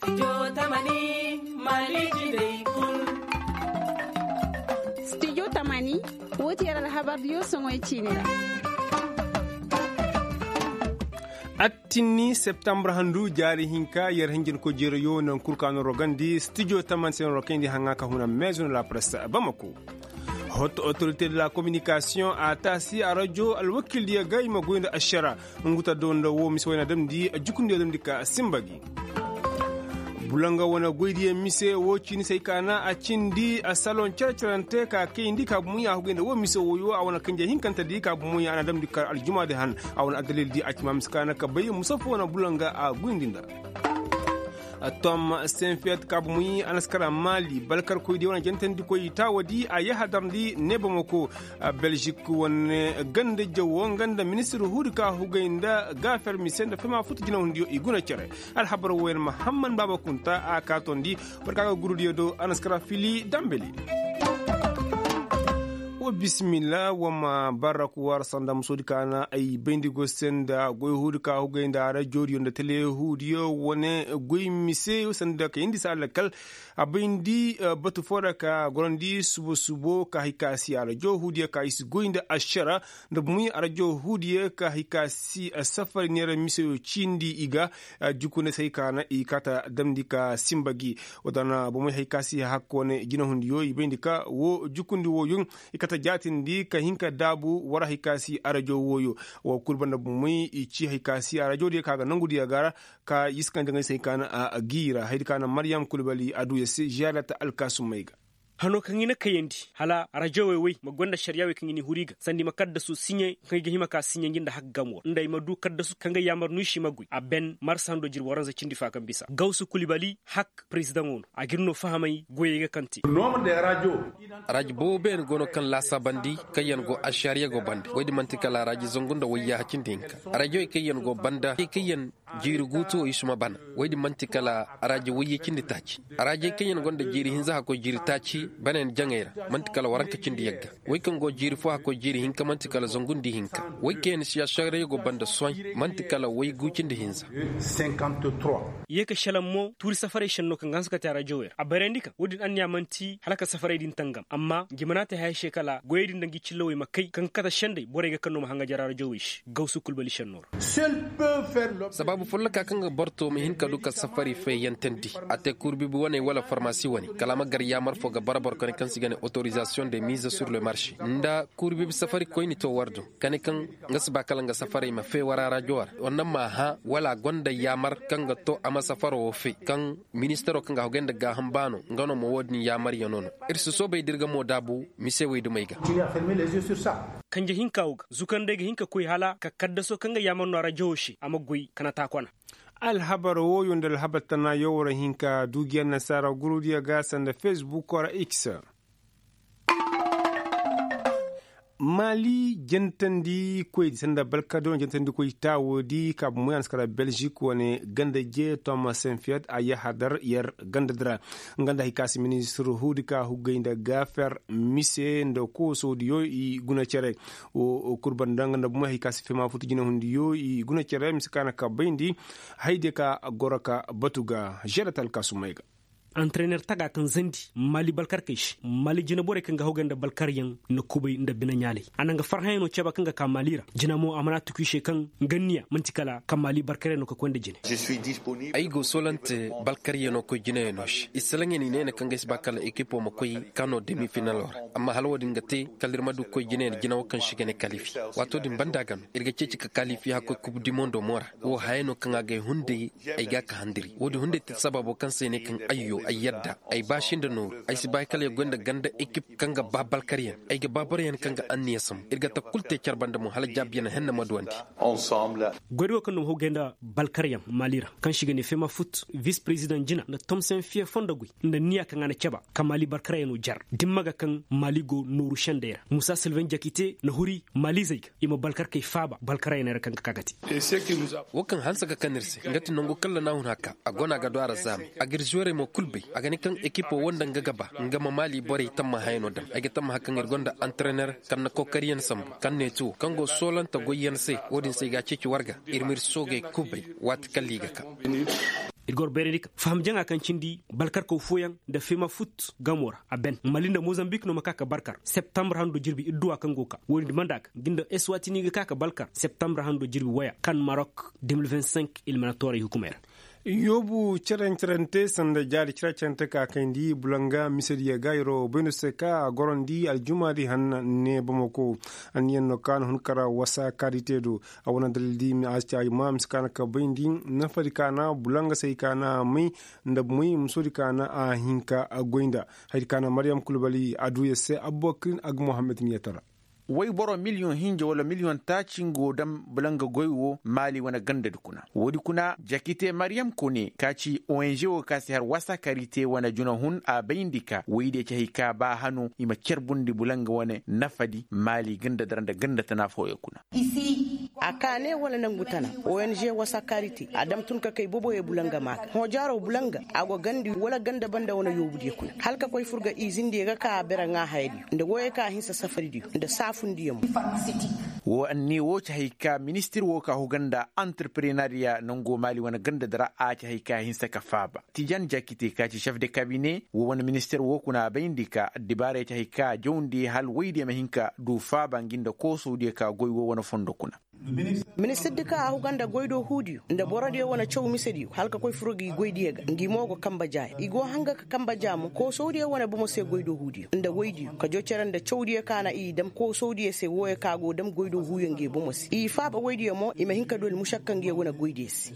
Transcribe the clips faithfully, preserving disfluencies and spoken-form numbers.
Studio tamani, woo ti yer alhabar diyo soŋoy ciini ra. Attinni septembre handu jaari hinka yer hinjin ko jeerayo naŋ kul ka no rogandi studio tamani se no rokayndi haŋa ka huna maison la presse bamako. Hot autorité de la communication a taasi a rajo alwakildiyo ga i ma goy nda ašara. Nguta do nda wo mise wayna damndi jukundiyo damndi ka simba gi. Bulanga wane goydiyo mise wo ciini se ay ka na a cindi a salon cere-cerante ka kayndi ka bumuya a hugay nda wo mise woyo a wane kanje hinkantedi ka bumuya a na damndi ka aljumaadi han. A wane addalildi a ci ma mise ka na ka bay musafo wane bulanga a goyndi nda. Tom senfiyat ka bumuyi a na si kara maali balkarkoydiyo wane jantandikoy taawadi a yahadarndi ne bamako. Belzik wane ganda jawo nga nda ministir huudi ka hugay nda gaafer mise nda fema futu jinahundiyo i guna cere. Alhabar woyen mahamman baaba kunta a kaatondi. Barka ga gurudiyo do a na si kara fili dambeli. Wa bisimilla wa ma barra ku war sanda musoodi ka na ay bayndi go se nda goy huudi ka hugay nda rajoodiyo nda tele huudiyo wane goy mise sanda ka yindi se alakal. A bayndi batu foo ra ka gorandi subo subo ka hay ka si arajo huudiyo ka i si goy nda ašara nda bumuy arajo huudiyo ka hay ka si safari neera miseyo ciindi i ga. Jukune se hay ka na i kata damndi ka simba gi. Wata na bumuy hay ka si hakko ne jinahundiyo i bayndi ka wo jukundi woyo i kata jaatindi ka hin ka daabu war hay ka si arajo woyo. Wo kul banda bumuy i ci hay ka si arajo diyo ka ga nongu diyo ga ra ka yiskandi ngay se hay ka na a gi ra haydi ka na maryam kulbali a du ya se ziyaarata alkaasumey ga. Hanoo kaŋ i na kayandi hala rajowey wey ma goy nda ašariyaa wey kaŋ i n'i huru i ga sanda i ma kaddasu siɲe kaŋ i ga hima ka siɲe ngi nda hak gam war nda i ma du kaddasu kaŋ ga yaamar no i se i ma goy a ben marsa hando jirbi waranza cindi faa kaŋ bisa gawsu kulibali hak perezidaŋo no a ga ir no fahamay goyey ga kaŋ te. Raaji boobo beene go no kaŋ laasaabandi kaŋyaŋ go ašariya go bande woy din man'ti kala raaji zangu nda wayyaaha cindi hinka. Raajowey kaŋyaŋ go banda kaŋyaŋ jiiri guutu wo i suma bana. Woy din man'ti kala araajey wayye cindi taaci. Araajey kaŋ yaŋ gonda jiiri hinza hakkoy jiiri taaci banayaŋ jaŋay ra. Man'ti kala waranka cindi yagga. Woy kaŋ go jiiri fo hakkoy jiiri hinka man'ti kala zangu nda ihinka. Woy kaŋ yaŋ siyaasiyoŋ ra yaŋ go banda soy man'ti kala woy gu cindi hinza. Ye ka šelaŋ mo tuuri safarey šennoo kaŋ ga hanse ka te araajowey ra a barayandi kaŋ wo-din anniya man'ti hala ka safarey din tangam amma ngi mana te haya se kala goyey din nda ngi cillawey ma kay kaŋ ga kate sendey borey ga kaŋ no ma haŋajer araajowey se gawsu kulbali šennoo ra. Sabaabu folloka kaŋ ga borto ma hin ka du ka safari feeyantandi a te kuuri bibi wane wala farmasi wane kala a ma gar yaamar fo ga bara boro kane kaŋ se i ga ne otorizasiyoŋ de miize sur le marše nda kuuri bibi safari koyni to war do kane kaŋ nga si ba kala nga safarey ma fee wara rajo ra wala a gonda yaamar kaŋ ga to a ma safaro wo fee kaŋ ministaro kaŋ ga a hogay nda gaaham baano nga no ma wo-din yaamaryaŋo no. Ir si soobay da ir ga mo daabu mise wey dumey ga. Kanje hinka wo ga zukandey ga hin ka koy hala ka kaddaso kaŋ ga yaamar no a rajo wo se a ma goy kana taakwana. Alhabar wooyo nda alhabar tana yawara hinka duujiyaŋ nasaara gurudiyo ga sanda fesbuk ra x. Maali jantandi koy sanda balkadon jantandi koy taawo di ka bumbuy a na si kara belzik wane ganda je toma senfiyat a yahadar yer ganda dira. Nga nda hay ka si ministir huudi ka huggay nda gaafer mise nda kooso diyo i guna cere. Wo kul banda nga nda bumbuy hay ka si fema futu jina hundi yo i guna cere mise ka na ka bayndi. Hay diyo ka goro ka batu ga žerat alkasumey ga. Antrener taga kaŋ zandi maali balkarkey se maali jinaborey kaŋ ga hogay nda balkaryaŋ na kubay nda binaɲaaley a na nga farhayaŋo caba kaŋ ga ka maali ra. Jina mo a mana tuku i se kaŋ nga niya man'ti kala ka maali balkaryaŋ no ka koy nda jine. Ay go soolante balkaryaŋo koy jinayaŋo se i salaŋ ya no i ne ya no kaŋ ga ay si ba kala ekipo ma koy kano demi finalo ra. Amma hala wo-din ga te kala ir ma du koy jinayaŋ jina wo kaŋ se i ga ne kalifi. Waato din banda ga no ir ga ceeci ka kalifi hakkoy kub di mondo mo ra. Wo haya no kaŋ a ga ay hunday ay ga a ka handiri wo-din hunday te sababo kaŋ se ay ne kaŋ ayyo ay yadda ay ba sinda nooru ay si ba kala ya goy nda ganda ekip kaŋ ga ba balkaryaŋ ay ga ba boroyaŋ kaŋ ga anniya sambu ir ga ta kul te care banda mo hala jaabiyaŋ henne ma duwandi. Goyri wo kaŋ no ma hogay nda balkaryaŋ maali ra kaŋ se i ga ne fema fut vis perezidaŋ jina nda tomsen fiye fondo goy nda niya kaŋ a na caba ka maali balkaryaŋo jar dimma ga kaŋ maali go nooru sendey ra musa silven jakite na huri maalizey ga i ma balkarkey faaba balkaryaŋey ra kaŋ ga ka ga te. Wo kaŋ hanse ga kan ir se nga ti nangu kaŋ lanahun haka a go no a ga du a ra zaamay a ga ir zuwarey mo kul bay a ga ne kaŋ ekipo wo nda nga ga ba nga ma maali borey tammahayaŋo daŋ ay ga tammaha kaŋ ir gonda antrener kaŋ na kookariyaŋ sambu kaŋ ne ti wo kaŋ go soolante goyyaŋ se. Wo-din se ay ga a ceeci war ga ir ma ir soogey kul bay waati kaŋ ra i ga ka. Ir ga war bayrandi ka faham jaŋa kaŋ cindi balkarkaw fooyaŋ nda fema fut gamo ra a ben mali nda mozambik no ma ka ka barkar septambar hando jirbi idduwa kaŋ go ka woodin di manda ga ngi nda eswatini ga ka ka balkar septambar hando jirbi waya kaŋ marok. Ilmana tooray hukumay ra. Yoobu cere-cerante sanda jaari cere-cerante ka kayndi bulanga misediya ga yaro bayno se ka a gorandi aljumaadi hanna ne bamako. Anniyaŋ no ka na hun kara wasa kaadi te do. A wane dalil di ma a si caay ma mise ka na ka bayndi nafadi ka na bulanga se i ka na a may nda moy musodi ka na a hinka a goy nda. Haydi ka na maryam kulbali a du ya se abubakrin ag mohammed miyatara. Woy boro miliyoŋ hinja wala miliyoŋ taaci nga wo daŋ bulanga goy wo maali wane gandadi kuna woodi kuna jakite maryam kone ka ci ong wo ka si har wasa kari te wane junahun a bayndi ka woydiyo ci hay ka ba hano i ma carbundi bulanga wane nafadi maali gandadi ra nda ganda tana fooyo kuna. A kaane wala nangu tana ong wasa kaari te a dam tun ka kay boboyey bulanga maa ga hõ jaaro bulanga a go gandi wala ganda banda wane yoobudiyo kuna hala ka koy fur ga izindiyo ga ka a bere ŋaa hayadiyo nda woyey ka a hinsa safaridiyo nda saafundiyo mo. Woo anniya woo ci hay ka ministir woo ka huga nda antirprenariya nango maali wane gandadi ra a ci hay ka hinsa ka faaba tijan jakite ka ci cef de kabine woo wane ministir woo kuna a bayndi ka addibaarey ci hay ka jawndi hala woydiyo ma hin ka du faaba ngi nda koosowdiyo ka goy woo wane fondo kuna. Ministirdi kaŋ a huga nda goydoo huudiyo nda borodiyo wane caw misediyo hala ka koy furo gi goydiyo ga ngi mo go kamba jaaya i go hanga ka kamba jaa mo koosowdiyo wane bomo se goydoo huudiyo nda woydiyo ka joo cere nda cawdiyo kaŋ a na i dam koosowdiyo se wooyo kaŋ a go dam goydoo huuyo ngi bomo se i faaba woydiyo mo i ma hin ka dooli mušakka ngi wane goydiyo se.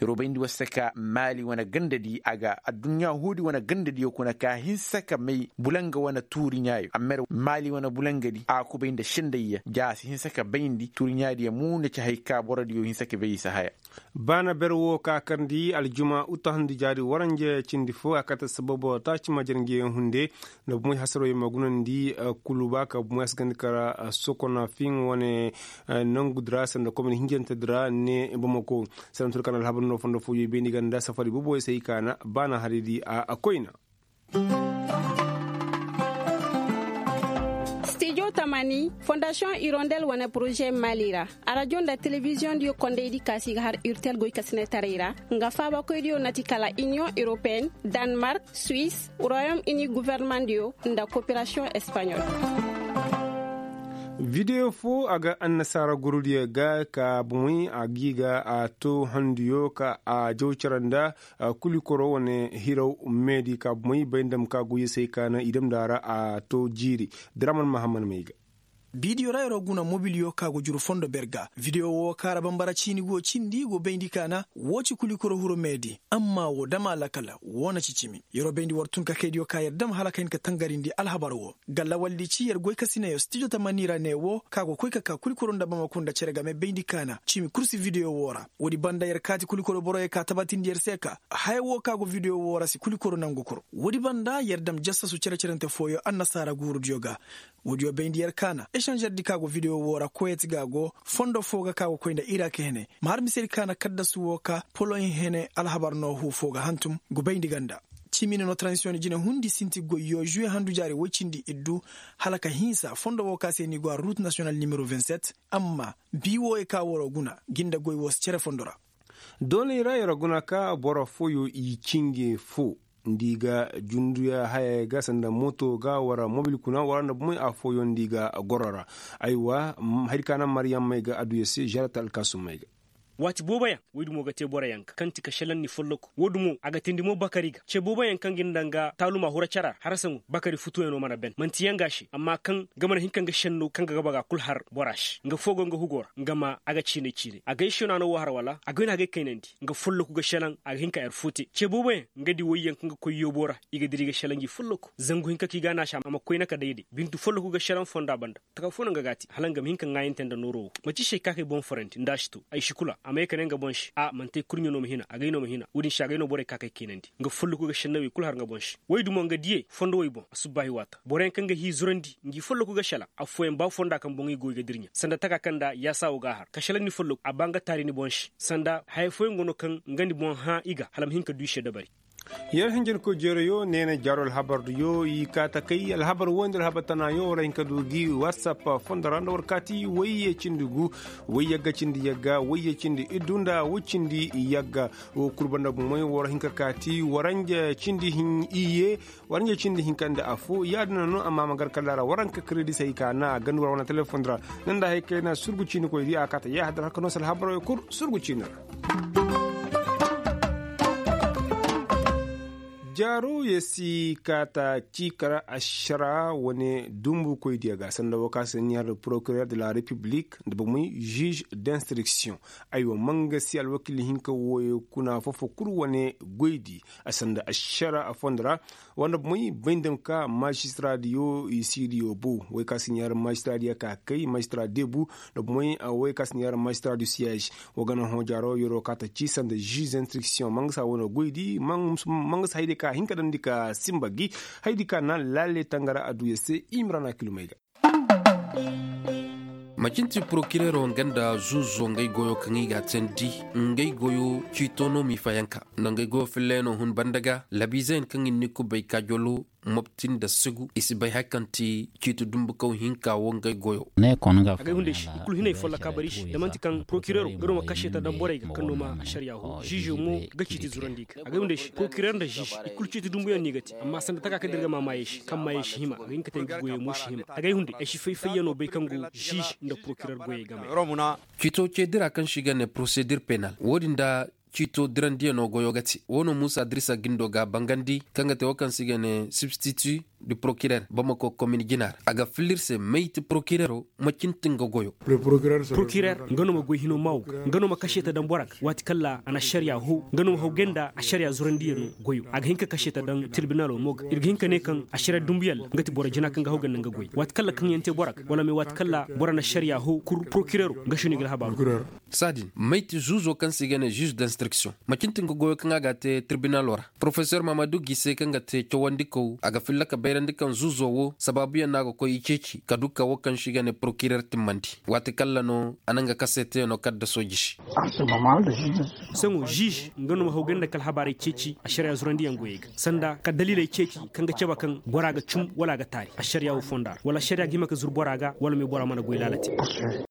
Robayndi war se ka maali wane gandadi a ga adduɲɲa huudi wane gandadiyo kuna ka hinsa ka may bulanga wane tuuriɲaayo a mer maali wane bulangadi a kubay nda sendayya ja a si hinsa ka bayndi tuuriɲaadiyo muuna ci hay ka borodiyo hinsa ka bay i si haya. Baana ber woo ka karndi aljuma uta hundi jaari waranja cindi fo a kate sababo taaci ma jarnjiyaŋ hunde nda bumoy hasaroo i ma gunandi kuluba ka bumoy a si gandi kara sokona fiŋ wane nangudi ra sanda komini hinjantedi ra ne bamako. Sanda turu ka na alhabar no fondo fooyo bayndi ganda safari boboyo se i ka na baana haridi a koyna. Stijo tamani fondasiyoŋ irondel wane poroze mali ra arajo nda telebiziyoŋ diyo kondaydi kaasi ga har urtel goykasinetaray ra nga faabakoydiyo na ti kala iniyoŋ europeen, danmark, suis, royom ini governemandiyo nda koperasiyoŋ espanyol. Videyo fo a ga annasaara gurudiyo ga ka bomoy a g'i ga a to handuyo ka a jaw cere nda kulikoro wane hiraw meedi ka bomoy bay nda ma ka goyyo se ay ka naŋ i damndi a ra a to jiiri. Diraman mahamman may ga. Bidiyo ra yer wo guna mobiliyo ka go juru fondo ber ga videwo wo kaŋ ra bambara ciini go cindi go bayndi ka na wo ci kulikoro hiro meedi. Amma wo dama lakal wo na ci cimi. Yer wo bayndi war tun ka kaydiyo ka yer dam hala ka hin ka tangarindi alhabar wo. Ga lawaldi ci yer goykasinayo stijo tamani ra ne wo ka go koy ka ka kulikoro nda bamako nda cere game bayndi ka na cimi kul si videwo wo ra. Woodi banda yer kaati kulikoro boroyo ka tabatindi yer se ka haya wo ka go videwo wo ra si kulikoro nangu kul. Woodi banda yer dam jasasu cere-cerente fooyo annasaara guurudiyo ga. Woodiyo bayndi yer ka na esanžerdi ka go videwo wo ra kuwet ga go fondo foo ga ka go koy nda irak hene. Ma har misedi ka na kaddasu wo ka poloɲ hene alhabar no huu foo ga hantum. Go bayndi ganda. Cimi ni no tranzisiyoŋ jine hundi sinti goyyo žuwe handu jaari woy cindi iddu hala ka hinsa fondo wo ka se ni go a rut nasiyonal nimero vingt-sept. Amma bii wooyo ka woro guna gi nda goy wo si cere fondo ra. Doonay ra yer guna ka boro fooyo i cinge foo nda i ga junduya hayey ga sanda moto ga wara mobil kuna wara nda bomey affooyaŋ nda i ga goro ra. Aywa, hari ka naŋ maryam may ga adduya se žarata alkaasum may ga. Waati booboyaŋ woy dumo ga te boroyaŋ ga kaŋ ti ka šelaŋ ni folloku wo dumo a ga teendi mo bakari ga ce booboyaŋ kaŋ ga nda nga taaluma hura cara ra harasaŋo bakari futuyaŋo mana ben man'ti yaŋ ga a se amma kaŋ ga mana hin ka nga šenno kaŋ ga gaba ga kul har bora se nga foo go nga hugo ra nga ma a ga ciinay ciinay a ga ay šenano wo har wala a ga ay no a ga ay kaynandi. Nga folloku ga šelaŋ a ga hin ka yer foo te ce booboyaŋ nga di woyyaŋ kaŋ ga koy yoobo ra i ga dira i ga šelaŋ gi folloku zangu hinka kaŋ i ga a naasi a ma koyna ka dayday bintu folloku ga šelaŋ fonda banda. Taka foo no nga ga a te hala nga ma hin ka ŋaayante nda nooro wo man'ti se ay ka kay boŋ forandi nda a si to ay si kula a ma ye ka ne nga boŋ se a man'ti ay kurɲe no ma hina a ga ay no ma hina wo-din se a ga ay no borey ka kay keenandi nga folloku ga šennawey kul har nga boŋ se. Woy dumo nga diyey fondo wey boŋ asubbaahi waata boroyaŋ kaŋ ga hii zurandi ngi folloku ga šelaŋ affooyaŋ ba fonda kaŋ boŋ i go i ga dirɲa sanda taka kaŋ nda yaasa wo ga a har ka šelaŋ ni folloku a ba nga taari ni boŋ se sanda haya fooyaŋ go no kaŋ nga ni boŋ hã i ga hala ma hin ka du i se dabari. Yer hinjinkoy jeerayo neena jaaro alhabardiyo i kaa takay alhabar woyndi alhabar tanaayo war hin ka du gi whatsapp fondo ra nda war kaati wayye cindi gu, wayyagga cindi yagga wayye cindi iddu nda woy cindi yagga. Wo kul banda bumey war hin ka kaati waranja cindi hin iyye, waranja cindi hinka nda affo yaadin no amma a ma gar kalla ra waranka kiredisey ka na a ganda war wane telefondi ra. Nda hay kayna surgu ciinikoydi a kaata yaahadar har ka noo se alhabarey kul surgu ciini ra. Jaaro ya si kaata ciikara ašara wane dumbukoydiyo ga sanda woo ka si ɲaar porokirer de la repiblik nda bomey žuž d'instriksiyoŋ. Aywa mangasi alwakiil hinka wooyo kuna foo-foo kul wane goydi a sanda ašara a fondo ra. Wanda bomey bay nda ma ka mažistiradiyo i siidiyo bu wey ka si ɲaar mažistiradiyo ka kay mažistira debu. Nda bomey wey ka si ɲaar mažistira du siyaž. Wa gana hõ jaaro yeroo kaata ci sanda žuž d'instriksiyoŋ mangasa wane goydi mangasa haydi ka hin ka dandi ka sinba gi. Haydi ka na laale tangara adduya se imrana kilumey ga. Macinti porokirero nga nda zuuzo ngey goyo kaŋ i ga a teendi ngey goyo ciito no m'i fayanka nda ngey goyo filley no hun banda ga labiizeyaŋ kaŋ i ni kubay kaajolo mopti nda sigu i si bay hari kaŋ ti ciiti dumbukaw hinka wo ngey goyo. Agay hunday se i kulu hinay folloka bari se da man'ti kaŋ porokirero ga no ma kaseeta daŋ borey ga kaŋ no ma ašariya hoo žiizo mo ga ciiti zurandi i ga agay hunday se porokirer nda žiiz i kulu ciiti dumbuyaŋ no i ga te amma sanda taka kaŋ da ir ga maamaayey se kaŋ maayey si hima a ga hin ka te nga goyey mo si hima agay hunday ay si fay-fayyano bay kaŋ go žiiz nda porokirer goyey game. Ciito ce dira kaŋ se i ga ne porosedir penal wo-din nda ciito dirandiyaŋo goyo ga te wo no muusa dirisa gindo ga a bangandi kaŋ ga te wo kaŋ se i ga ne sibstiti du porokirer bamako komin jina ra a ga filla ir se mayti porokirero ma cindi nga goyo. Porokirer nga no ma goy hino maawo ga nga no ma kaseeta daŋ bora ga waati kaŋ ra a na ašariya hoo nga no ma haw gay nda ašariya zurandiyaŋo goyo a ga hin ka kaseeta daŋ tirbinalo mo ga ir ga hin ka ne kaŋ ašariya dumbuyaŋ ra nga ti boro jina kaŋ ga haw gay nda nga goy waati kaŋ ra kaŋyaŋ te bora ga wala me waati kaŋ ra bora na ašariya hoo kul porokirero nga se no i ga alhabaaru. Saadin mayti zuuzo kaŋ se i ga ne žuž d'instriksiyoŋ ma cindi nga goyo kaŋ a ga a te tirbinalo ra porofesor mahamadu gise kaŋ ga te cawandikaw a ga filla ka bayrandi kaŋ zuuzo wo sabaabuyaŋ no a ga koy i ceeci ka du ka wo kaŋ se i ga ne porokirer timmandi waati kaŋ ra no a na nga kaseetayaŋo kadda sooji se. Saŋo žuž nga no ma haw gay nda ka alhabaarey ceeci ašariya zurandiyaŋ goyey ga sanda ka daliiley ceeci kaŋ ga cabe kaŋ bora ga cum wala a ga taari ašariya wo fonda ra wala ašariya ga hima ka zuru bora ga wala me bora mana goy laala te.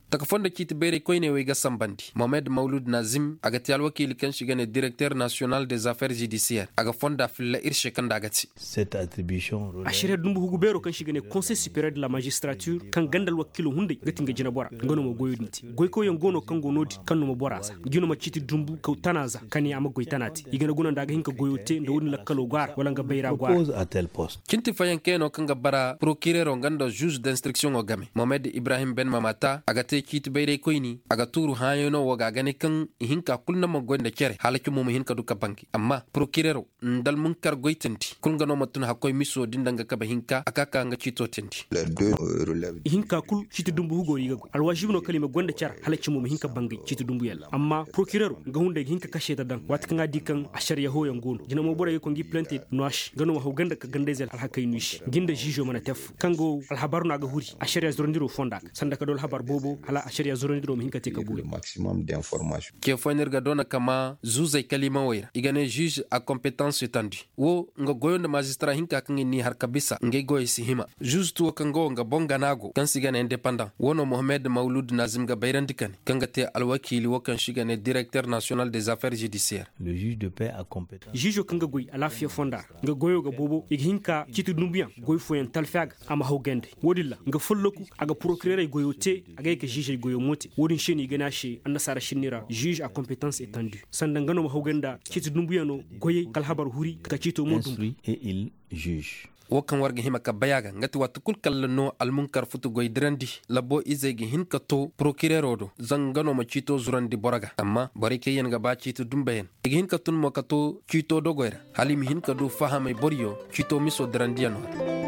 Taka fondo ciiti bayray koyney wey ga sanbandi mohamed mawlud nazim a ga te alwakiili kaŋ se i ga ne direkter nasiyonal des affaires judisiyer a ga fonda filla ir se kaŋ nda a ga te. Ašariya dumbu hugu beeroo kaŋ se i ga ne konsey superiyer de la mažistiratir kaŋ ganda alwakiiloo hunday ga ti nga jineboraa nga no ma goyoo din te goykawyaŋ go no kaŋ go no-din kaŋ no ma boraa za nga no ma ciiti dumbu kaw tana za ka ne a ma goy tana te i ga na guna nda a ga hin ka goyoo te nda wo-din lakkaloo go a ra wala nga bayra go a ra. Cinti fayankayanoo kaŋ ga bara porokireroo nga nda žuž d'instriksiyoŋoo game mohamed ibrahim ben mamata a ga te ciiti bayraykoyni a ga tuuru hãayanoo woo ga a ga ne kaŋ ihinka kul na ma goy nda cere hala cumo ma hin ka du ka bangay amma porokireroo nda almunkar goy teendi kul nga no ma tun hakkoy misoo din nda nga kabe hinka a ka ka nga ciitoo teendi. Ihinka kul ciiti dumbu hugo i ga goy alwaazib no kala i ma goy nda cere hala cumo ma hin ka bangay ciiti dumbuyaŋ ra amma porokireroo nga hunday ga hin ka kaseeta daŋ waati kaŋ a di kaŋ ašariya hooyaŋ go no jina mo borey ga koy ngi pilante no a se nga no ma haw ganda ka gandayzey alhakey no i se ngi nda žiizo mana te affoo kaŋ go alhabar no a ga huri ašariya zorandiroo fonda ga sanda ka du alhabar boobo hala ašariya zorandiroo ma hin ka te ka buuyo. Ce fooyaŋ no ir ga doona ka maa zuuzey kaliimawey ra i ga ne žiiz a kompetans etandi woo nga goyo nda maazistara hinka kaŋ i n'i har ka bisa ngey goyey si hima. Žiiz tuwo kaŋ ga woo nga boŋ gana go kaŋ se i ga ne indepandaŋ woo no mohamed mawlud nazim ga bayrandi ka ne kaŋ ga te alwakiili woo kaŋ se i ga ne direkter nasiyonal des affaires judisiyer. Žiizo kaŋ ga goy alaafiya fonda ra nga goyoo ga boobo i ga hin ka ciiti dumbuyaŋ goy fooyaŋ talfi a ga a ma haw gayndey woo-din ra nga folloku a ga porokirerey goyoo te a ga ye ka žiizey goyoo mo te woo-din se no i ga ne a se annasaara sinni ra žiiz a kompetans etandi sanda nga no ma haw gay nda ciiti dumbuyaŋoo goyey ka alhabar huri ka ciitoo mo dumbu. Woo kaŋ war ga hima ka bay a ga nga ti waati kul kalla no almunkar futu goy dirandi labbo izey ga hin ka too porokireroo do zanga nga no ma ciitoo zurandi boro ga amma borey kaŋ yaŋ ga ba ciiti dumbayaŋ i ga hin ka tun mo ka too ciitoo dogoy ra hala i ma hin ka du fahamay boroyo ciitoo misoo dirandiyaŋoo ra.